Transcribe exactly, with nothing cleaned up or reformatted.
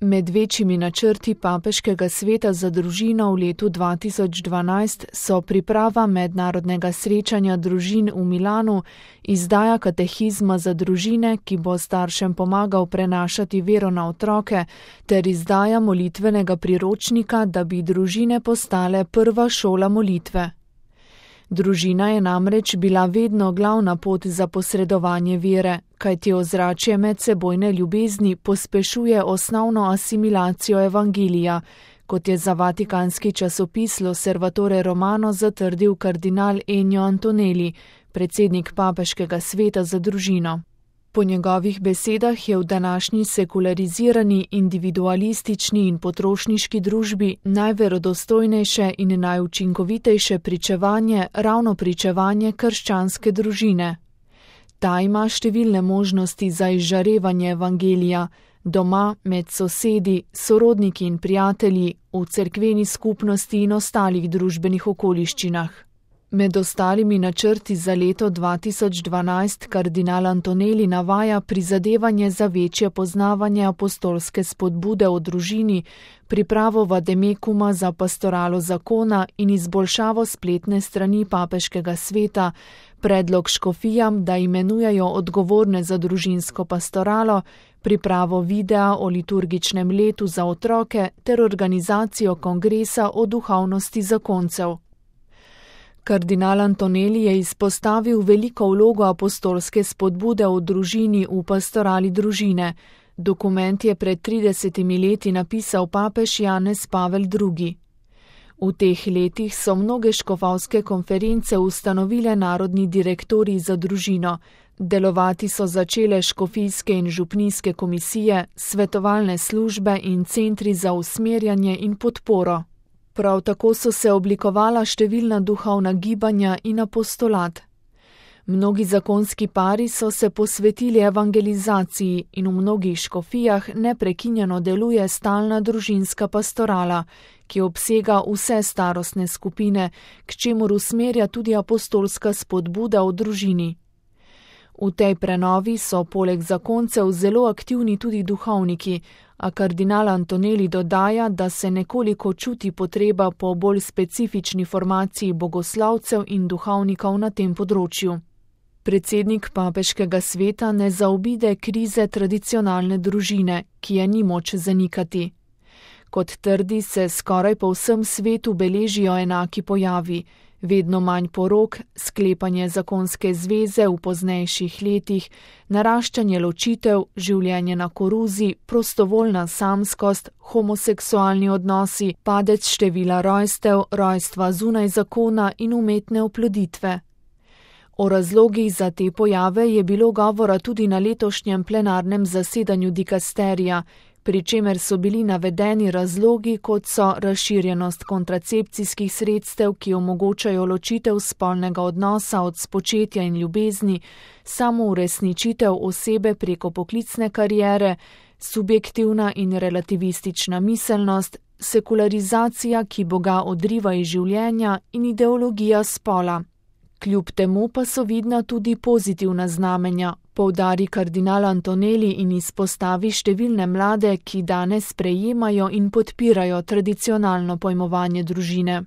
Med večjimi načrti Papeškega sveta za družino v letu dva tisoč dvanajst so priprava mednarodnega srečanja družin v Milanu, izdaja katehizma za družine, ki bo staršem pomagal prenašati vero na otroke, ter izdaja molitvenega priročnika, da bi družine postale prva šola molitve. Družina je namreč bila vedno glavna pot za posredovanje vere, kajti ozračje medsebojne ljubezni pospešuje osnovno asimilacijo evangelija, kot je za vatikanski časopis L'Osservatore Romano zatrdil kardinal Ennio Antonelli, predsednik Papeškega sveta za družino. Po njegovih besedah je v današnji sekularizirani, individualistični in potrošniški družbi najverodostojnejše in najučinkovitejše pričevanje ravno pričevanje krščanske družine. Ta ima številne možnosti za izžarevanje evangelija, doma, med sosedi, sorodniki in prijatelji, v cerkveni skupnosti in ostalih družbenih okoliščinah. Med ostalimi načrti za leto dva tisoč dvanajst kardinal Antonelli navaja prizadevanje za večje poznavanje apostolske spodbude o družini, pripravo vademekuma za pastoralo zakona in izboljšavo spletne strani Papeškega sveta, predlog škofijam, da imenujejo odgovorne za družinsko pastoralo, pripravo videa o liturgičnem letu za otroke ter organizacijo kongresa o duhovnosti zakoncev. Kardinal Antonelli je izpostavil veliko vlogo apostolske spodbude o družini v pastorali družine. Dokument je pred tridesetimi leti napisal papež Janez Pavel drugi. V teh letih so mnoge škofovske konference ustanovile narodni direktorji za družino. Delovati so začele škofijske in župnijske komisije, svetovalne službe in centri za usmerjanje in podporo. Prav tako so se oblikovala številna duhovna gibanja in apostolat. Mnogi zakonski pari so se posvetili evangelizaciji in v mnogih škofijah neprekinjeno deluje stalna družinska pastorala, ki obsega vse starostne skupine, k čemur usmerja tudi apostolska spodbuda o družini. V tej prenovi so poleg zakoncev zelo aktivni tudi duhovniki, a kardinal Antonelli dodaja, da se nekoliko čuti potreba po bolj specifični formaciji bogoslovcev in duhovnikov na tem področju. Predsednik Papeškega sveta ne zaobide krize tradicionalne družine, ki je ni moč zanikati. Kot trdi, se skoraj po vsem svetu beležijo enaki pojavi, vedno manj porok, sklepanje zakonske zveze v poznejših letih, naraščanje ločitev, življenje na koruzi, prostovoljna samskost, homoseksualni odnosi, padec števila rojstev, rojstva zunaj zakona in umetne oploditve. O razlogih za te pojave je bilo govora tudi na letošnjem plenarnem zasedanju dikasterija, pri čemer so bili navedeni razlogi, kot so razširjenost kontracepcijskih sredstev, ki omogočajo ločitev spolnega odnosa od spočetja in ljubezni, samouresničitev osebe preko poklicne kariere, subjektivna in relativistična miselnost, sekularizacija, ki Boga odriva iz življenja, in ideologija spola. Kljub temu pa so vidna tudi pozitivna znamenja, poudari kardinal Antonelli in izpostavi številne mlade, ki danes sprejemajo in podpirajo tradicionalno pojmovanje družine.